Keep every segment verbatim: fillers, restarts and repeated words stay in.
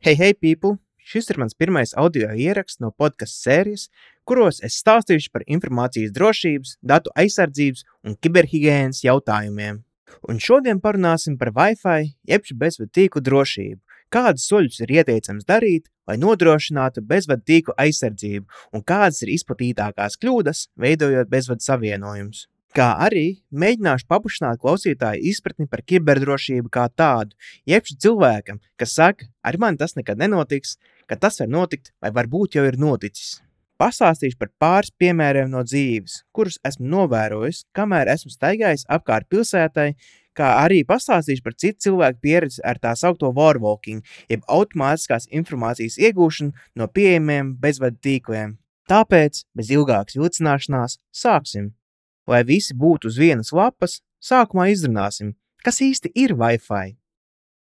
Hey, hey, people! Šis ir mans pirmais audio ieraksts no podcastu sērijas, kuros es stāstīšu par informācijas drošības, datu aizsardzības un kiberhigienas jautājumiem. Un šodien parunāsim par Wi-Fi, jeb bezvadu tīklu drošību, kādus soļus ir ieteicams darīt, lai nodrošinātu bezvadu tīklu aizsardzību un kādas ir izplatītākās kļūdas, veidojot bezvadu savienojumus. Kā arī mēģināšu paplašināt klausītāju izpratni par kiberdrošību kā tādu, jeb cilvēkam, kas saka, ar mani tas nekad nenotiks, ka tas var notikt vai varbūt jau ir noticis. Pastāstīšu par pāris piemēriem no dzīves, kurus esmu novērojis, kamēr esmu staigājis apkārt pilsētai, kā arī pastāstīšu par citu cilvēku pieredzi ar tā saukto warwalking, jeb automātiskās informācijas iegūšanu no pieejamiem bezvadu tīkliem. Tāpēc, bez ilgākas vilcināšanās, sāksim! Lai visi būtu uz vienas lapas, sākumā izrunāsim, kas īsti ir Wi-Fi.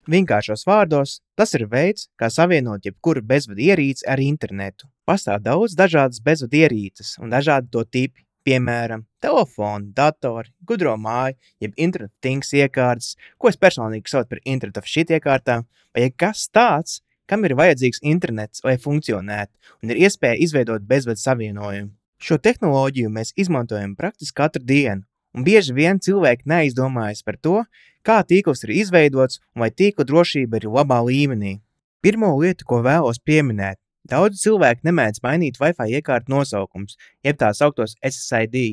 Vienkāršos vārdos, tas ir veids, kā savienot jebkuru bezvadu ierīci ar internetu. Pastāv daudz dažādas bezvadu ierīces un dažādi to tipi, piemēram, telefoni, datori, gudro māju, jeb Internet of Things iekārtas, ko es personīgi saucu par Internet of Shit iekārtām, vai kas tāds, kam ir vajadzīgs internets, lai funkcionētu un ir iespēja izveidot bezvadu savienojumu. Šo tehnoloģiju mēs izmantojam praktiski katru dienu, un bieži vien cilvēki neizdomājas par to, kā tīkls ir izveidots un vai tīkla drošība ir labā līmenī. Pirmo lietu, ko vēlos pieminēt, daudzi cilvēki nemēdz mainīt Wi-Fi iekārtu nosaukums, jeb tā sauktos S S I D.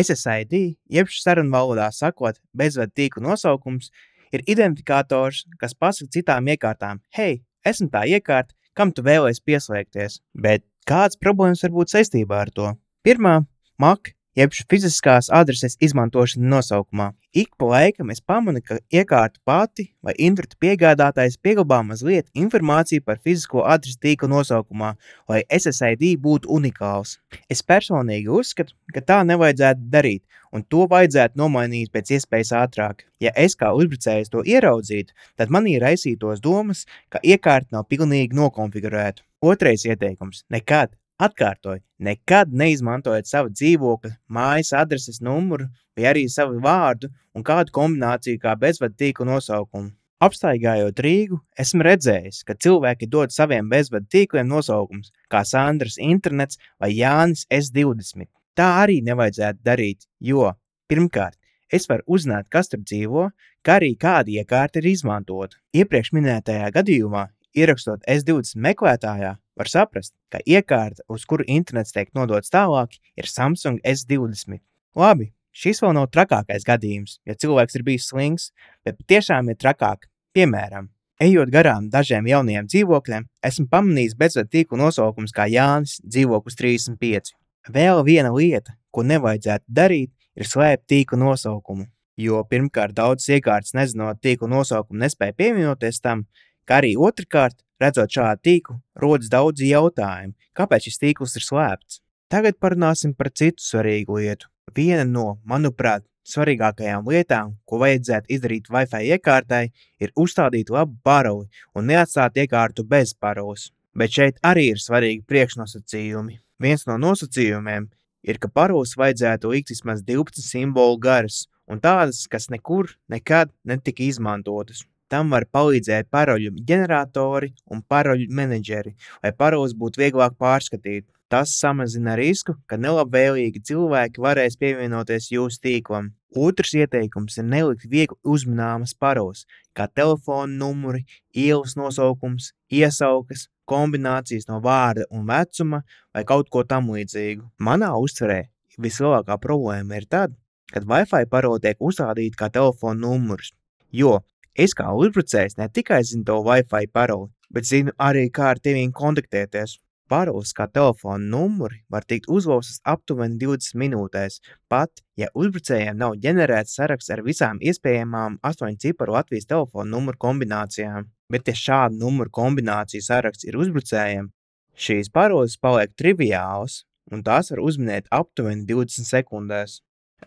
S S I D, jeb sarunvalodā sakot, bezvadu tīklu nosaukums, ir identifikators, kas pasaka citām iekārtām, hei, esmu tā iekārta, kam tu vēlies pieslēgties, bet kādas problēmas var būt saistībā ar to? Pirmā, M A C, jeb fiziskās adreses izmantošana nosaukumā. Ik pa laikam es pamanu, ka iekārta pati vai internetu piegādātājs pieglabā mazliet informāciju par fizisko adresi tīkla nosaukumā, lai S S I D būtu unikāls. Es personīgi uzskatu, ka tā nevajadzētu darīt, un to vajadzētu nomainīt pēc iespējas ātrāk. Ja es kā uzbrucējs to ieraudzītu, tad manī raisītos domas, ka iekārta nav pilnīgi nokonfigurēta. Otrais ieteikums – nekad, atkārtoju, nekad neizmantojiet savu dzīvokļa, mājas adreses numuru vai arī savu vārdu un kādu kombināciju kā bezvadu tīklu nosaukumu. Apstaigājot Rīgu, esmu redzējis, ka cilvēki dod saviem bezvadu tīkliem nosaukums, kā Sandras internets vai Jānis S divdesmit. Tā arī nevajadzētu darīt, jo, pirmkārt, es varu uzzināt, kas tur dzīvo, kā arī kāda iekārta ir izmantota. Iepriekš minētajā gadījumā, ierakstot S divdesmit meklētājā, var saprast, ka iekārta, uz kuru internets tiek nodots tālāk, ir Samsung S divdesmit. Labi, šis vēl nav trakākais gadījums, ja cilvēks ir bijis slings, bet tiešām ir trakāk. Piemēram, ejot garām dažiem jaunajiem dzīvokļiem, esmu pamanījis bezvadu tīklu nosaukums kā Jānis, dzīvoklis trīsdesmit pieci. Vēl viena lieta, ko nevajadzētu darīt, ir slēpt tīklu nosaukumu, jo pirmkārt daudzas iekārtas nezinot tīklu nosaukumu nespēja pievienoties tam, kā arī otrkārt, redzot šādu tīklu, rodas daudzi jautājumi, kāpēc šis tīkls ir slēpts. Tagad parunāsim par citu svarīgu lietu. Viena no, manuprāt, svarīgākajām lietām, ko vajadzētu izdarīt Wi-Fi iekārtai, ir uzstādīt labu paroli un neatstāt iekārtu bez paroles. Bet šeit arī ir svarīgi priekšnosacījumi. Viens no nosacījumiem ir, ka paroles vajadzētu likt vismaz divpadsmit simbolu garas un tādas, kas nekur nekad netika izmantotas. Tam var palīdzēt paroļu ģeneratori un paroļu menedžeri, lai paroles būtu vieglāk pārskatīt. Tas samazina risku, ka nelabvēlīgi cilvēki varēs pievienoties jūsu tīklam. Otrs ieteikums ir nelikt viegli uzmanāmas paroles, kā telefona numuri, ielas nosaukums, iesaukas, kombinācijas no vārda un vecuma vai kaut ko tam līdzīgu. Manā uztverē vislielākā problēma ir tad, kad Wi-Fi parole tiek uzstādīta kā telefona numurs, jo es kā uzbrucējs ne tikai zinu to Wi-Fi paroli, bet zinu arī, kā ar tevīm kontaktēties. Paroles kā telefona numuri var tikt uzlaustas aptuveni divdesmit minūtēs, pat, ja uzbrucējiem nav ģenerēts saraksts ar visām iespējamām astoņu ciparu Latvijas telefona numuru kombinācijām. Bet, ja šāda numuru kombināciju saraksts ir uzbrucējiem, šīs paroles paliek triviālas, un tās var uzminēt aptuveni divdesmit sekundēs.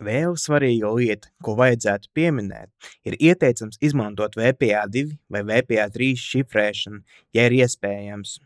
Vēl svarīga lieta, ko vajadzētu pieminēt, ir ieteicams izmantot V P A divi vai V P A trīs šifrēšanu, ja ir iespējams.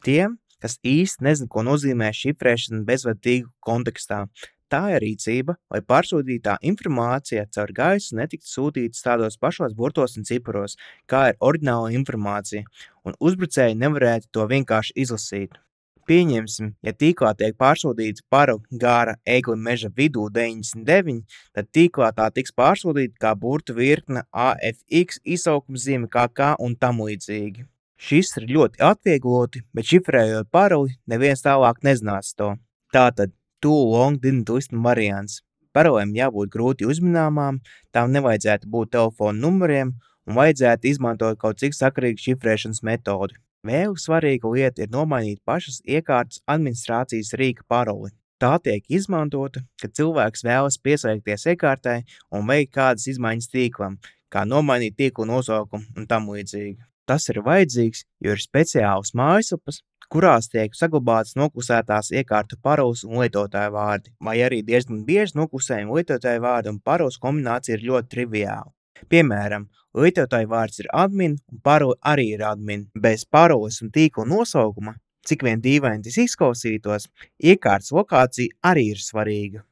Tiem, kas īsti nezina, ko nozīmē šifrēšana bezvadu tīklu kontekstā, Tā ir rīcība, lai pārsūtītā informācija caur gaisu netiktu sūtītas tādos pašos burtos un ciparos, kā ir oriģināla informācija, un uzbrucēji nevarētu to vienkārši izlasīt. Pieņemsim, ja tīklā tiek pārsūtīta paru gāra egli meža vidū deviņdesmit deviņi, tad tīklā tā tiks pārsūtīta kā burtu virkne A F X, izsaukuma K K un tam līdzīgi. Šis ir ļoti atviegloti, bet šifrējot paroli, neviens tālāk nezinās to. Tātad, too long didn't listen variants. Parolēm jābūt grūti uzminamām, tām nevajadzētu būt telefona numuriem un vajadzētu izmantot kaut cik sakarīgu šifrēšanas metodi. Vēl svarīga lieta ir nomainīt pašas iekārtas administrācijas rīka paroli. Tā tiek izmantota, kad cilvēks vēlas pieslēgties iekārtai un veikt kādas izmaiņas tīklam, kā nomainīt tīklu nosaukumu un tam līdzīgi. Tas ir vajadzīgs, jo ir speciālas mājaslapas, kurās tiek saglabātas noklusētās iekārtu paroles un lietotāju vārdi, vai arī diezgan bieži noklusējumi lietotāju vārdu un paroles kombinācija ir ļoti triviāla. Piemēram, lietotāju vārds ir admin un parole arī ir admin. Bez paroles un tīkla nosaukuma, cik vien dīvaini tas izklausītos, iekārtas lokācija arī ir svarīga.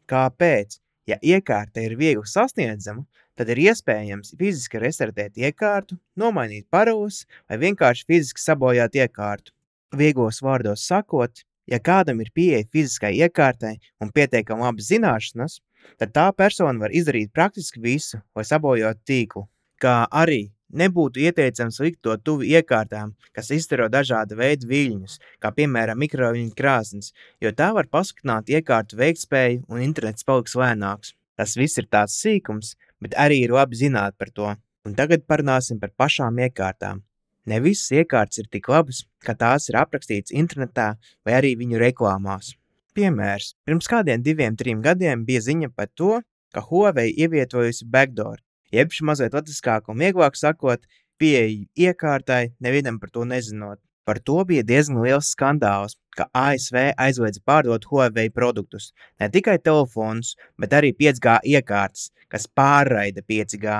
Kāpēc? Ja iekārta ir viegli sasniedzama, tad ir iespējams fiziski restartēt iekārtu, nomainīt paroles vai vienkārši fiziski sabojāt iekārtu. Vieglos vārdos sakot, ja kādam ir pieeja fiziskai iekārtai un pietiekami labas zināšanas, tad tā persona var izdarīt praktiski visu, lai sabojotu tīklu. Kā arī nebūtu ieteicams likt to tuvi iekārtām, kas izstaro dažāda veida viļņus, kā piemēram mikroviļņu krāsnes, jo tā var pasliktināt iekārtu veiktspēju un internets paliks lēnāks. Tas viss ir tāds sīkums, bet arī ir labi zināt par to. Un tagad parunāsim par pašām iekārtām. Ne visas iekārtas ir tik labas, ka tās ir aprakstītas internetā vai arī viņu reklāmās. Piemērs. Pirms kādiem diviem, trim gadiem bija ziņa par to, ka Huawei ievietojusi backdoor, jeb mazliet latviskāk un vieglāk sakot, pieeju iekārtai, nevienam par to nezinot. Par to bija diezgan liels skandāls, ka A S V aizliedza pārdot Huawei produktus, ne tikai telefonus, bet arī pieci G iekārtas, kas pārraida pieci G,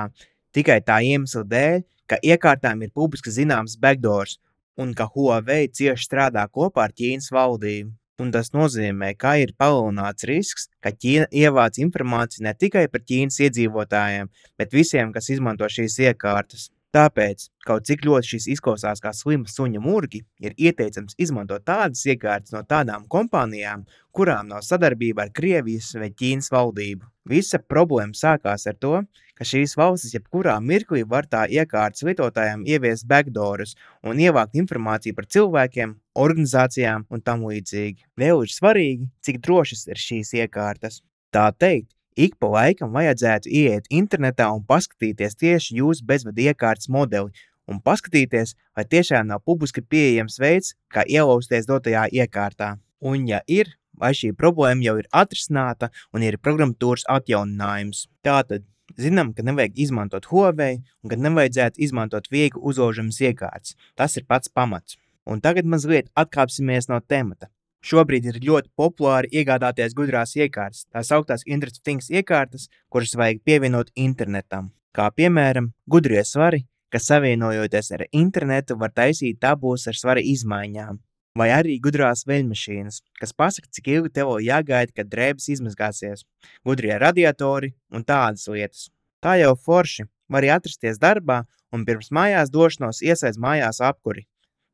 tikai tā iemesla dēļ, ka iekārtām ir publiski zināms backdoors un ka Huawei cieši strādā kopā ar Ķīnas valdību. Un tas nozīmē, ka ir palielināts risks, ka Ķīna ievāc informāciju ne tikai par Ķīnas iedzīvotājiem, bet visiem, kas izmanto šīs iekārtas. Tāpēc, kaut cik ļoti šis izklausās kā slima suņa murgi, ir ieteicams izmantot tādas iekārtas no tādām kompānijām, kurām nav sadarbība ar Krievijas vai Ķīnas valdību. Visa problēma sākās ar to, ka šīs valstis jebkurā mirklī var tā iekārtas lietotājiem ieviest backdoorus un ievākt informāciju par cilvēkiem, organizācijām un tam līdzīgi. Vēl ir svarīgi, cik drošas ir šīs iekārtas. Tā teikt, ik pa laikam vajadzētu ieiet internetā un paskatīties tieši jūsu bezvadu iekārtas modeli un paskatīties, vai tiešām nav publiski pieejams veids, kā ielausties dotajā iekārtā. Un ja ir, vai šī problēma jau ir atrisināta un ir programmatūras atjauninājums. Tātad, zinām, ka nevajag izmantot Huawei un ka nevajadzētu izmantot viegli uzlaužamas iekārtas. Tas ir pats pamats. Un tagad mazliet atkāpsimies no temata. Šobrīd ir ļoti populāri iegādāties gudrās iekārtas, tās augtās Internet of Things iekārtas, kuras vajag pievienot internetam. Kā piemēram, gudrie svari, kas savienojoties ar internetu var taisīt tabulas ar svara izmaiņām. Vai arī gudrās veļmašīnas, kas pasaka, cik ilgi tev jāgaida, kad drēbes izmazgāsies, gudrie radiatori un tādas lietas. Tā jau forši, var arī atrasties darbā un pirms mājās došanos iesaist mājās apkuri.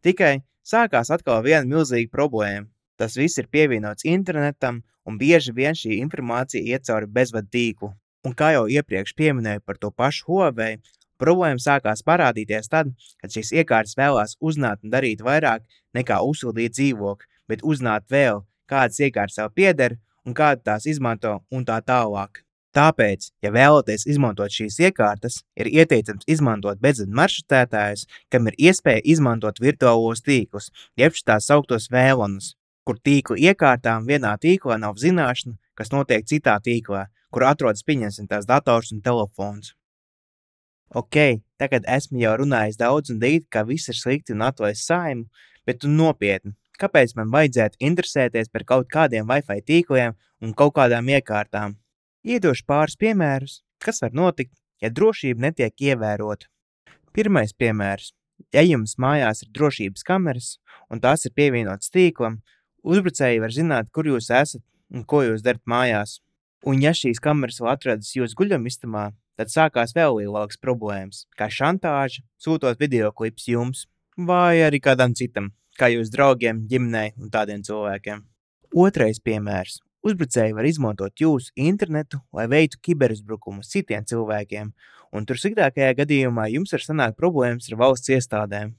Tikai sākās atkal viena milzīga problēma. Tas viss ir pievienots internetam un bieži vien šī informācija iet cauri bezvadu tīklu. Un kā jau iepriekš pieminēju par to pašu Huawei, problēma sākās parādīties tad, kad šīs iekārtas vēlās uzzināt un darīt vairāk nekā uzsildīt dzīvokli, bet uzzināt vēl, kādas iekārtas tev pieder un kāda tās izmanto un tā tālāk. Tāpēc, ja vēlaties izmantot šīs iekārtas, ir ieteicams izmantot bezvadu maršrutētājus, kam ir iespēja izmantot virtuālos tīklus, jeb tās sauktos vēlonus, kur tīkla iekārtām vienā tīklā nav zināšana, kas notiek citā tīklā, kur atrodas pieņemsim tās dators un telefons. Ok, tagad esmu jau runājis daudz un dīt, ka viss ir slikti un atlaist Saimu, bet un nopietni, kāpēc man vajadzētu interesēties par kaut kādiem Wi-Fi tīkliem un kaut kādām iekārtām? Iedošu pāris piemērus, kas var notikt, ja drošība netiek ievērota. Pirmais piemērs. Ja jums mājās ir drošības kameras un tās ir pievienotas tīklam, uzbrucēji var zināt, kur jūs esat un ko jūs darat mājās. Un ja šīs kameras vēl atrodas jūsu guļamistamā, tad sākās vēl lielākas problēmas, kā šantāža, sūtot videoklipus jums, vai arī kādam citam, kā jūs draugiem, ģimenei un tādiem cilvēkiem. Otrais piemērs. Uzbrucēji var izmantot jūsu internetu, lai veiktu kiberuzbrukumus citiem cilvēkiem, un tur sliktākajā gadījumā jums var sanākt problēmas ar valsts iestādēm.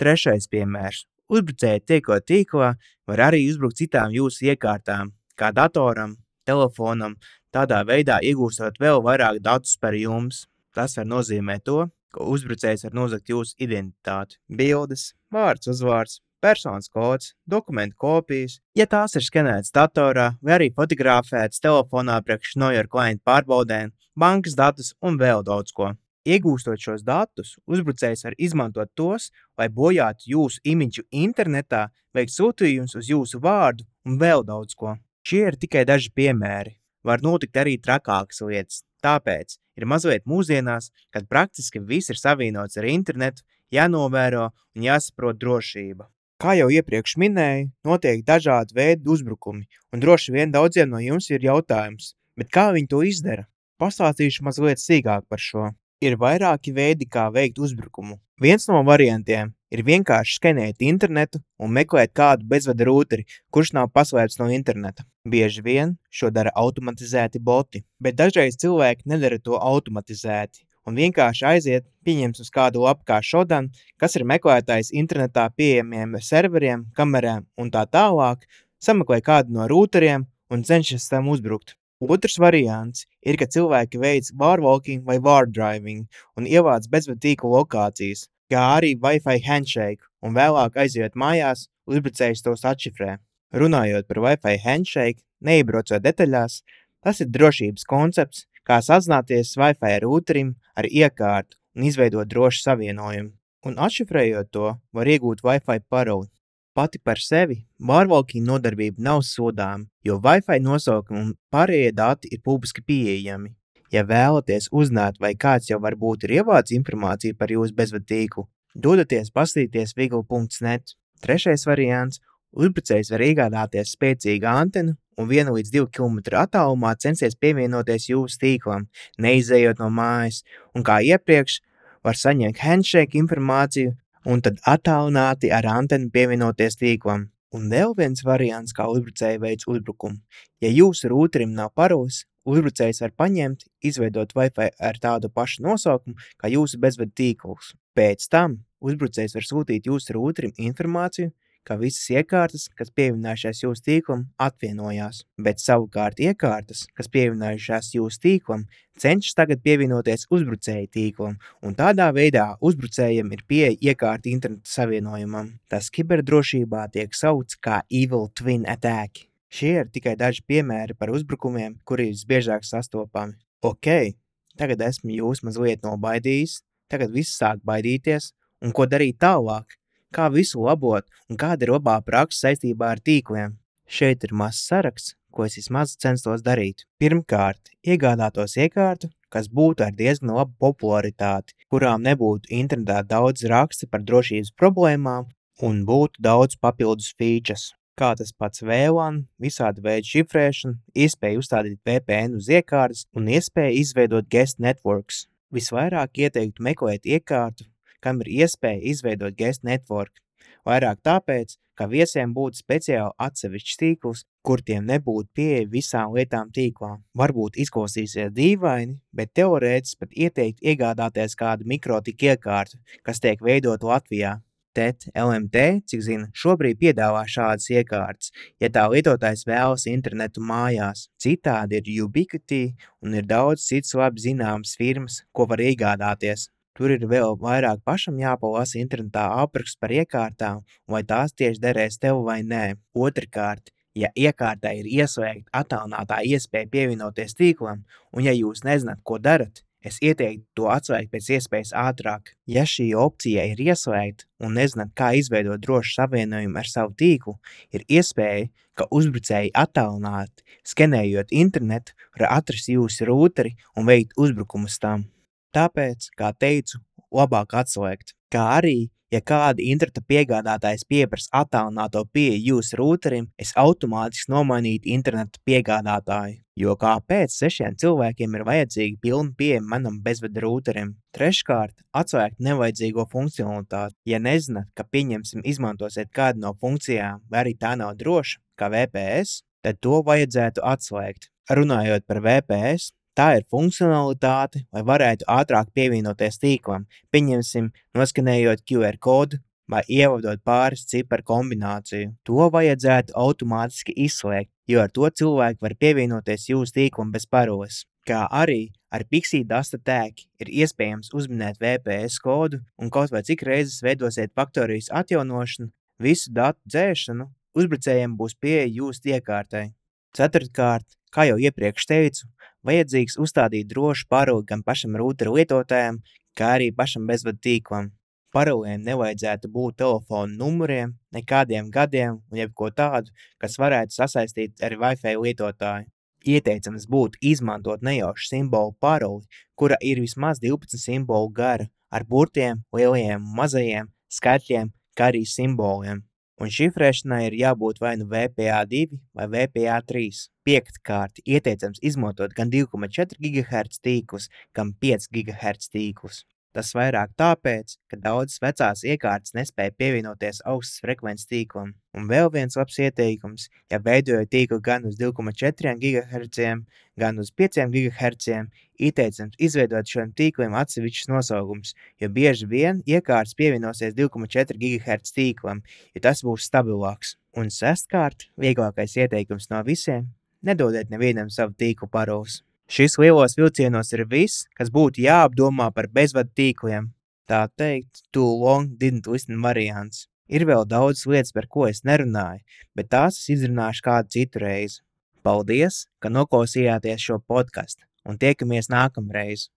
Trešais piemērs. Uzbrucēji tiekot tīklā var arī uzbrukt citām jūsu iekārtām, kā datoram, telefonam, tādā veidā iegūstot vēl vairāk datus par jums. Tas var nozīmēt to, ka uzbrucējs var nozagt jūsu identitāti, bildes, vārds, uzvārds, personas kods, dokumentu kopijas, ja tās ir skenētas datorā vai arī fotografētas telefonā priekš know your client pārbaudēm, bankas datus un vēl daudz ko. Iegūstot šos datus, uzbrucējs var izmantot tos, lai bojātu jūsu imidžu internetā, veikt sūtījumus uz jūsu vārdu un vēl daudz ko. Šie ir tikai daži piemēri. Var notikt arī trakākas lietas, tāpēc ir mazliet mūsdienās, kad praktiski viss ir savienots ar internetu, jānovēro un jāsaprot drošība. Kā jau iepriekš minēju, notiek dažādi veidi uzbrukumi, un droši vien daudziem no jums ir jautājums, bet kā viņi to izdara? Pastāstīšu mazliet sīkāk par šo. Ir vairāki veidi, kā veikt uzbrukumu. Viens no variantiem ir vienkārši skenēt internetu un meklēt kādu bezvada rūteri, kurš nav paslēpts no interneta. Bieži vien šo dara automatizēti boti, bet dažreiz cilvēki nedara to automatizēti un vienkārši aiziet, pieņems uz kādu lapu kā Shodan, kas ir meklētājs internetā pieejamiem serveriem, kamerām un tā tālāk, sameklē kādu no rūteriem un cenšas tam uzbrukt. Otrs variants ir, ka cilvēki veic warwalking vai wardriving un ievāc bezvadu tīklu lokācijas, kā arī Wi-Fi handshake, un vēlāk aiziet mājās, uzbrucējs tos atšifrē. Runājot par Wi-Fi handshake, neiebraucot detaļās, tas ir drošības koncepts, kā sazināties Wi-Fi rūterim ar iekārtu un izveidot drošu savienojumu. Un atšifrējot to, var iegūt Wi-Fi paroli. Pati par sevi warwalking nodarbība nav sodāma, jo Wi-Fi nosaukumi un pārējie dati ir publiski pieejami. Ja vēlaties uzzināt, vai kāds jau varbūt ir ievācis informāciju par jūsu bezvadu tīklu, dodaties paskatīties vigla punkts net. Trešais variants. Uzbrucējs var iegādāties spēcīgu antenu un vienu līdz divu kilometru attālumā censties pievienoties jūsu tīklam, neizejot no mājas, un kā iepriekš var saņemt handshake informāciju un tad attālināti ar antenu pievienoties tīklam. Un vēl viens variants, kā uzbrucēji veic uzbrukumu. Ja jūsu rūterim nav paroles, uzbrucējs var paņemt, izveidot Wi-Fi ar tādu pašu nosaukumu kā jūsu bezvadu tīkls. Pēc tam uzbrucējs var sūtīt jūsu rūterim informāciju, ka visas iekārtas, kas pievienojušās jūsu tīklam, atvienojās, bet savukārt iekārtas, kas pievienojušās jūsu tīklam, cenšas tagad pievienoties uzbrucēju tīklam, un tādā veidā uzbrucējiem ir pieeja iekārta interneta savienojumam. Tas kiberdrošībā tiek saukts kā Evil Twin Attack. Šie ir tikai daži piemēri par uzbrukumiem, kuri visbiežāk sastopami. Ok, tagad esmu jūs mazliet nobaidījis, tagad viss sāk baidīties, un ko darīt tālāk? Kā visu labot un kāda ir labā praksa saistībā ar tīkliem. Šeit ir mazs saraksts, ko es vismaz censtos darīt. Pirmkārt, iegādātos iekārtu, kas būtu ar diezgan labu popularitāti, kurām nebūtu internetā daudz raksti par drošības problēmām un būtu daudz papildus features, kā tas pats V LAN, visādi veidi šifrēšana, iespēja uzstādīt V P N uz iekārtas un iespēja izveidot guest networks. Visvairāk ieteiktu meklēt iekārtu, kam ir iespēja izveidot guest network, vairāk tāpēc, ka viesiem būtu speciāli atsevišķs tīkls, kur tiem nebūtu pieeja visām lietām tīklā. Varbūt izklausīsies dīvaini, bet teorētiski pat ieteikt iegādāties kādu mikrotiku iekārtu, kas tiek veidot Latvijā. T E T L M T, cik zinu, šobrīd piedāvā šādas iekārtas, ja tā lietotājs vēlas internetu mājās. Citādi ir Ubiquiti un ir daudz cits labi zināmas firmas, ko var iegādāties. Tur ir vēl vairāk pašam jāpalasa internetā apraksts par iekārtām, vai tās tieši derēs tev vai nē. Otrkārt, ja iekārtai ir ieslēgta attālinātā iespēja pievienoties tīklam, un ja jūs nezināt, ko darat, es ieteiktu to atslēgt pēc iespējas ātrāk. Ja šī opcija ir ieslēgta un nezināt, kā izveidot drošu savienojumu ar savu tīklu, ir iespēja, ka uzbrucēji attālināti, skenējot internetu, var atrast jūsu rūteri un veikt uzbrukumus tam. Tāpēc, kā teicu, labāk atslēgt. Kā arī, Ja kāda interneta piegādātājs pieprasa attālināto pieeju jūsu rūterim, es automātiski nomainītu interneta piegādātāju. Jo kāpēc sešiem cilvēkiem ir vajadzīga pilna pieeja manam bezvada rūterim? Treškārt, atslēgt nevajadzīgo funkcionalitāti. Ja nezināt, ka pieņemsim izmantosiet kādu no funkcijām, vai arī tā nav droša, kā V P S, tad to vajadzētu atslēgt. Runājot par V P S, tā ir funkcionalitāte, lai varētu ātrāk pievienoties tīklam, pieņemsim, noskanējot Q R kodu vai ievadot pāris ciparu kombināciju. To vajadzētu automātiski izslēgt, jo ar to cilvēki var pievienoties jūsu tīklam bez paroles. Kā arī ar Pixie Dasta tag ir iespējams uzminēt V P S kodu un kaut vai cik reizes veidosiet faktorijas atjaunošanu, visu datu dzēšanu uzbrucējiem būs pieeja jūsu iekārtai. Ceturtkārt, kā jau iepriekš teicu, vajadzīgs uzstādīt drošu paroli gan pašam rūtera lietotājam, kā arī pašam bezvadu tīklam. Paroliem nevajadzētu būt telefonu numuriem, nekādiem gadiem un jebko tādu, kas varētu sasaistīt ar Wi-Fi lietotāju. Ieteicams būtu izmantot nejaušu simbolu paroli, kura ir vismaz divpadsmit simbolu gara, ar burtiem, lielajiem un mazajiem, skaitļiem, kā arī simboliem. Un šifrēšanai ir jābūt vai nu V P A divi vai V P A trīs. Piektkārt, ieteicams izmantot gan divi komats četri gigaherca tīklus, gan pieci gigaherca tīklus. Tas vairāk tāpēc, ka daudzas vecās iekārtas nespēja pievienoties augstas frekvences tīklam. Un vēl viens labs ieteikums, ja veidojot tīklu gan uz divi komats četri gigaherca, gan uz pieci gigaherci, ieteicams izveidot šiem tīkliem atsevišķus nosaukums, jo bieži vien iekārtas pievienosies divi komats četri gigaherca tīklam, jo tas būs stabilāks. Un sestkārt, vieglākais ieteikums no visiem – nedodiet nevienam savu tīklu paroles. Šis lielos vilcienos ir viss, kas būtu jāapdomā par bezvadu tīkliem. Tā teikt, too long didn't listen variants. Ir vēl daudz lietas, par ko es nerunāju, bet tās es izrunāšu kādu citu reizi. Paldies, ka noklausījāties šo podcastu un tiekamies nākamreiz.